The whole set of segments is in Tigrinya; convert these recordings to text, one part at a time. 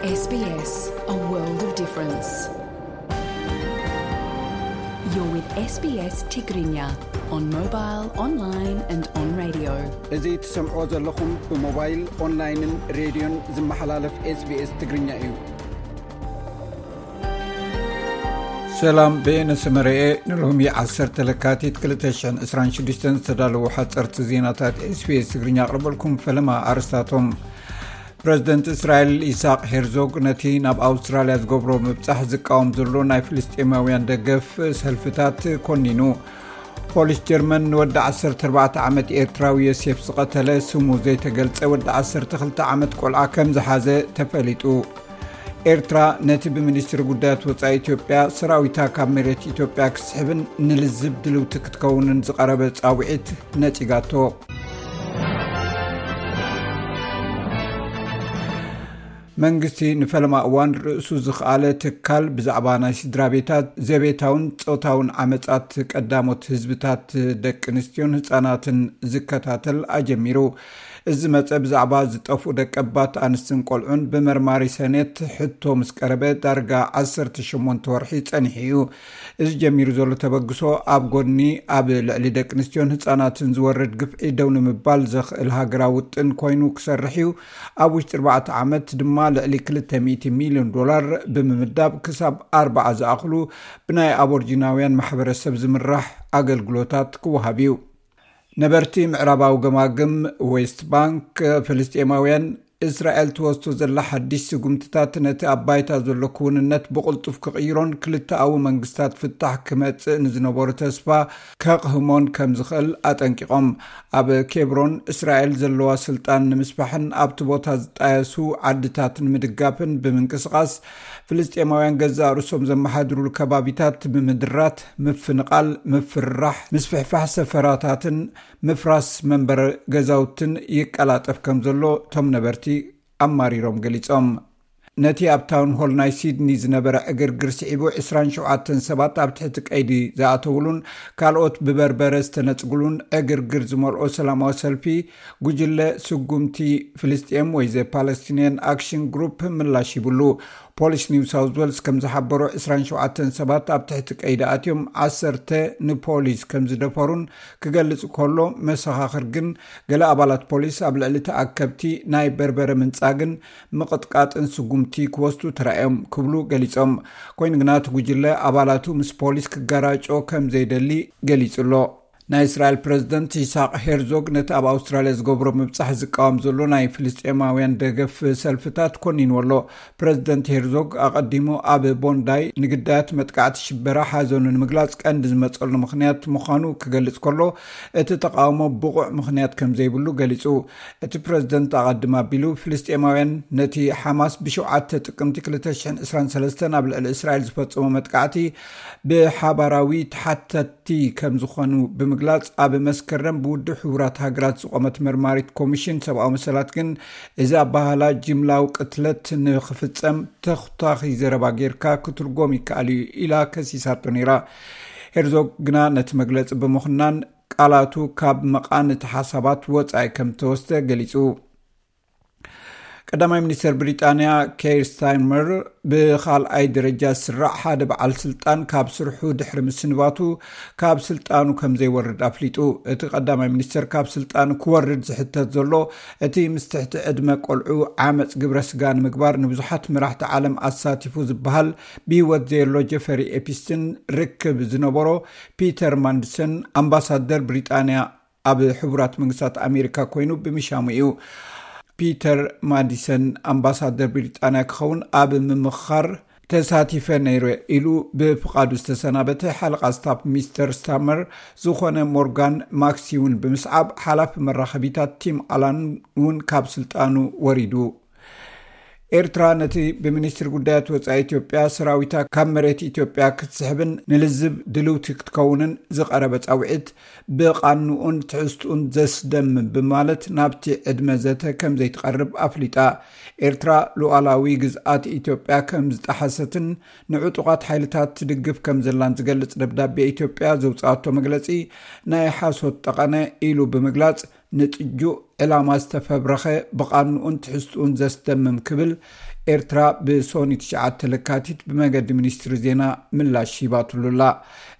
S B S, a world of difference. You're with S B S Tigrinya on mobile, online and on radio. እዚ ትሰምዕዎ ዘለኹም ብሞባይል፣ ኦንላይንን ሬድዮን ዝመሓላለፍ SBS ትግርኛ እዩ። ሰላም፣ በየነ ሰመረኤ። ንሎሚ ዓሰርተ ለካቲት ክልተ ሽሕን ዕስራን ሽዱሽተን ዝተዳለዉ ሓፀርቲ ዜናታት SBS ትግርኛ ኣቕርበልኩም። ፈለማ ኣርስታቶም። ፕረዚደንት እስራኤል ኢሳቅ ሄርዞግ ነቲ ናብ ኣውስትራልያ ዝገብሮ ምብጻሕ ዝቃወም ዘሎ ናይ ፍልስጤማውያን ደገፍ ሰልፍታት ኮኒኑ። ፖሊስ ጀርመን ንወዲ ዓሰርተ ኣርባዕተ ዓመት ኤርትራዊ ዮሴፍ ዝቐተለ ስሙ ዘይተገልጸ ወዲ ዓሰርተ ክልተ ዓመት ቆልዓ ከም ዝሓዘ ተፈሊጡ። ኤርትራ ነቲ ብሚኒስትሪ ጉዳያት ወጻኢ ኢትዮጵያ ሰራዊታ ካብ መሬት ኢትዮጵያ ክስሕብን ንልዝብ ድልውቲ ክትከውንን ዝቐረበ ጻውዒት ነጺጋቶ። መንግስቲ ንፈለማ እዋን ርእሱ ዝኸኣለ ትካል ብዛዕባ ናይ ስድራ ቤታት ዘቤታውን ጾታውን ዓመጻት ቀዳሞት ህዝብታት ደቂ ኣንስትዮን ህጻናትን ዝከታተል ኣጀሚሩ። እዚ መጸ ብዛዕባ ዝጠፍኡ ደቀባት ኣንስትን ቆልዑን ብመርማሪ ሰኔት ሕቶ ምስ ቀረበ ዳርጋ ዓሰርተ ሸሞንተ ወርሒ ጸኒሑ እዩ። እዚ ጀሚሩ ዘሎ ተበግሶ ኣብ ጎድኒ ኣብ ልዕሊ ደቂ ኣንስትዮን ህጻናትን ዝወርድ ግፍዒ ደው ንምባል ዘኽእል ሃገራዊ ውጥን ኮይኑ ክሰርሕ እዩ። ኣብ ውሽጢ ኣርባዕተ ዓመት ድማ ልዕሊ ክልተ ሚእቲ ሚልዮን ዶላር ብምምዳብ ክሳብ ኣርባዓ ዝኣኽሉ ብናይ ኣቦርጂናውያን ማሕበረሰብ ዝምራሕ ኣገልግሎታት ክወሃብ እዩ። ነበርቲ ምዕራባዊ ገማግም ዌስት ባንክ፣ ፍልስጤማውያን እስራኤል ትወስዶ ዘላ ሓድሽ ስጉምትታት ነቲ ኣብ ባይታ ዘሎ ክውንነት ብቕልጡፍ ክቕይሮን ክልተኣዊ መንግስታት ፍታሕ ክመጽእ ንዝነበሮ ተስፋ ከቕህሞን ከም ዝኽእል ኣጠንቂቖም። ኣብ ኬብሮን እስራኤል ዘለዋ ስልጣን ንምስፋሕን ኣብቲ ቦታ ዝጣየሱ ዓድታት ንምድጋፍን ብምንቅስቓስ፣ ፍልስጤማውያን ገዛእ ርእሶም ዘመሓድሩሉ ከባቢታት ብምድራት፣ ምፍንቓል፣ ምፍርራሕ፣ ምስፍሕፋሕ ሰፈራታትን ምፍራስ መንበሪ ገዛውትን ይቀላጠፍ ከም ዘሎ እቶም ነበርቲ ኣማሪሮም ገሊጾም። ነቲ ኣብ ታውን ሆል ናይ ሲድኒ ዝነበረ ዕግርግር ስዒቡ ዕስራን ሸውዓተን ሰባት ኣብ ትሕቲ ቀይዲ ዝኣተውሉን ካልኦት ብበርበረ ዝተነጽጉሉን ዕግርግር ዝመልኦ ሰላማዊ ሰልፊ ጉጅለ ስጉምቲ ፍልስጤም ወይ ዘ ፓለስቲንያን ኣክሽን ግሩፕ ምላሽ ሂብሉ። ፖሊስ ኒው ሳውዝ ዌልስ ከም ዝሓበሮ ዕስራን ሸውዓተን ሰባት ኣብ ትሕቲ ቀይዲ ኣትዮም ዓሰርተ ንፖሊስ ከም ዝደፈሩን ክገልጽ ከሎ፣ መሰኻኽር ግን ገለ ኣባላት ፖሊስ ኣብ ልዕሊ ተኣከብቲ ናይ በርበረ ምንጻግን ምቕጥቃጥን ስጉምቲ ክወስዱ ተራእዮም ክብሉ ገሊጾም። ኮይኑ ግና እቲ ጉጅለ ኣባላቱ ምስ ፖሊስ ክጋራጮ ከም ዘይደሊ ገሊጹ ኣሎ። ናይ እስራኤል ፕረዚደንት ይስሐቅ ሄርዞግ ነቲ ኣብ ኣውስትራልያ ዝገብሮ ምብጻሕ ዝቃወም ዘሎ ናይ ፍልስጤማውያን ደገፍ ሰልፍታት ኮኒንዎ ኣሎ። ፕረዚደንት ሄርዞግ ኣቐዲሙ ኣብ ቦንዳይ ንግዳያት መጥቃዕቲ ሽበራ ሓዘኑ ንምግላጽ ቀንዲ ዝመጸሉ ምኽንያት ምዃኑ ክገልጽ ከሎ፣ እቲ ተቃውሞ ብቑዕ ምኽንያት ከም ዘይብሉ ገሊጹ። እቲ ፕረዚደንት ኣቐድም ኣቢሉ፣ ፍልስጤማውያን ነቲ ሓማስ ብሸውዓተ ጥቅምቲ ክልተ ሽሕን ዕስራን ሰለስተን ኣብ ልዕሊ እስራኤል ዝፈጸሞ መጥቃዕቲ ብሓባራዊ ተሓተቲ ከም ዝኾኑ ብምግላጽ፣ ኣብ መስከረም ብውድብ ሕቡራት ሃገራት ዝቖመት መርማሪት ኮሚሽን ሰብኣዊ መሰላት ግን እዚ ኣባህላ ጅምላዊ ቅትለት ንኽፍጸም ተኹታኺ ዘረባ ጌርካ ክትርጎም ይከኣል እዩ ኢላ ከሲሳቶ ነይራ። ሄርዞግ ግና ነቲ መግለጺ ብምኹናን ቃላቱ ካብ መቓንንቲ ሓሳባት ወጻኢ ከም ዝተወስደ ገሊጹ። ቀዳማይ ሚኒስተር ብሪጣንያ ኬር ስታርመር ብኻልኣይ ደረጃ ዝስራዕ ሓደ በዓል ስልጣን ካብ ስርሑ ድሕሪ ምስንባቱ ካብ ስልጣኑ ከም ዘይወርድ ኣፍሊጡ። እቲ ቀዳማይ ሚኒስተር ካብ ስልጣኑ ክወርድ ዝሕተት ዘሎ እቲ ምስ ትሕቲ ዕድመ ቆልዑ ዓመጽ ግብረ ስጋ ንምግባር ንብዙሓት መራሕቲ ዓለም ኣሳቲፉ ዝበሃል ብህይወት ዘየሎ ጀፈሪ ኤፒስትን ርክብ ዝነበሮ ፒተር ማንድሰን ኣምባሳደር ብሪጣንያ ኣብ ሕቡራት መንግስታት ኣሜሪካ ኮይኑ ብምሻሙ እዩ። ፒተር ማዲሰን ኣምባሳደር ብሪጣንያ ክኸውን ኣብ ምምኻር ተሳቲፈ ነይረ ኢሉ ብፍቓዱ ዝተሰናበተ ሓለቓ ስታፍ ሚስተር ስታርመር ዝኾነ ሞርጋን ማክሲ እውን ብምስዓብ ሓላፊ መራኸቢታት ቲም ኣላን እውን ካብ ስልጣኑ ወሪዱ። ኤርትራ ነቲ ብሚኒስትሪ ጉዳያት ወጻኢ ኢትዮጵያ ሰራዊታ ካብ መሬት ኢትዮጵያ ክትስሕብን ንልዝብ ድልውቲ ክትከውንን ዝቐረበ ጻውዒት ብቓንኡን ትሕዝትኡን ዘስደምም ብማለት ናብቲ ዕድመ ዘተ ከም ዘይትቐርብ ኣፍሊጣ። ኤርትራ ሉዓላዊ ግዝኣት ኢትዮጵያ ከም ዝጠሓሰትን ንዕጡቓት ሓይልታት ትድግፍ ከም ዘላን ዝገልጽ ደብዳቤ ኢትዮጵያ ዘውጽኣቶ መግለጺ ናይ ሓሶት ጠቐነ ኢሉ ብምግላጽ፣ ንጥጁእ ዕላማ ዝተፈብረኸ፣ ብቓንኡን ትሕዝትኡን ዘስደምም ክብል ኤርትራ ብሶኒ ትሽዓተ ለካቲት ብመገዲ ሚኒስትሪ ዜና ምላሽ ሂባትሉ ኣላ።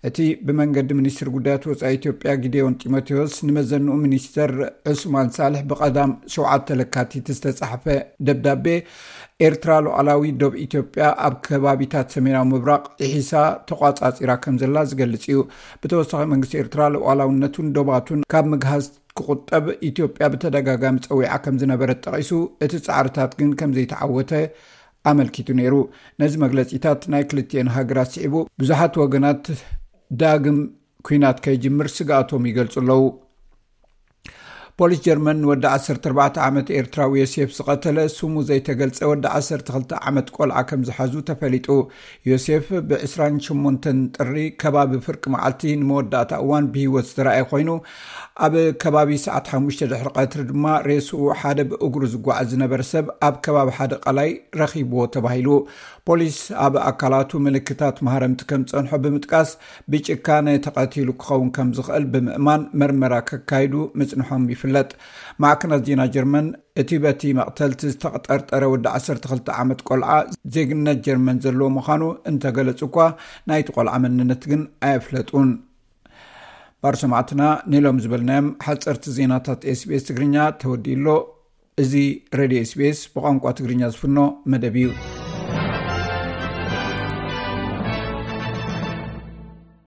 እቲ ብመንገዲ ሚኒስትሪ ጉዳያት ወጻኢ ኢትዮጵያ ጊዴዮን ጢሞቴዎስ ንመዘንኡ ሚኒስተር ዑስማን ሳልሕ ብቐዳም ሸውዓተ ለካቲት ዝተጻሕፈ ደብዳቤ፣ ኤርትራ ሉዓላዊ ዶብ ኢትዮጵያ ኣብ ከባቢታት ሰሜናዊ ምብራቕ ጥሒሳ ተቋጻጺራ ከም ዘላ ዝገልጽ እዩ። ብተወሳኺ መንግስቲ ኤርትራ ሉዓላውነቱን ዶባቱን ካብ ምግሃስ ክቁጠብ ኢትዮጵያ ብተደጋጋሚ ጸዊዓ ከም ዝነበረት ጠቒሱ፣ እቲ ጻዕርታት ግን ከም ዘይተዓወተ ኣመልኪቱ ነይሩ። ነዚ መግለጺታት ናይ ክልቲኤን ሃገራት ስዒቡ ብዙሓት ወገናት ዳግም ኲናት ከይጅምር ስግኣቶም ይገልጹ ኣለዉ። ፖሊስ ጀርመን ንወዲ ዓሰርተ ኣርባዕተ ዓመት ኤርትራዊ ዮሴፍ ዝቐተለ ስሙ ዘይተገልጸ ወዲ ዓሰርተ ክልተ ዓመት ቆልዓ ከም ዝሓዙ ተፈሊጡ። ዮሴፍ ብ ዕስራን ሸሞንተን ጥሪ ከባቢ ፍርቂ መዓልቲ ንመወዳእታ እዋን ብህይወት ዝተረኣየ ኮይኑ፣ ኣብ ከባቢ ሰዓት ሓሙሽተ ድሕሪ ቀትሪ ድማ ሬስኡ ሓደ ብእግሩ ዝጓዓዝ ዝነበረ ሰብ ኣብ ከባቢ ሓደ ቀላይ ረኺብዎ ተባሂሉ። ፖሊስ ኣብ ኣካላቱ ምልክታት ማህረምቲ ከም ዝጸንሖ ብምጥቃስ፣ ብጭካነ ተቐቲሉ ክኸውን ከም ዝኽእል ብምእማን መርመራ ከካይዱ ምጽንሖም ይፍለጥ። ማዕከናት ዜና ጀርመን እቲ በቲ መቕተልቲ ዝተጠርጠረ ወዲ ዓሰርተ ክልተ ዓመት ቆልዓ ዜግነት ጀርመን ዘለዎ ምዃኑ እንተገለጹ እኳ፣ ናይቲ ቆልዓ መንነት ግን ኣየፍለጡን። ባር ሰማዕትና፣ ንሎም ዝበልናዮም ሓጸርቲ ዜናታት ኤስቢኤስ ትግርኛ ተወዲኡ ኣሎ። እዚ ሬድዮ ኤስቢኤስ ብቋንቋ ትግርኛ ዝፍኖ መደብ እዩ።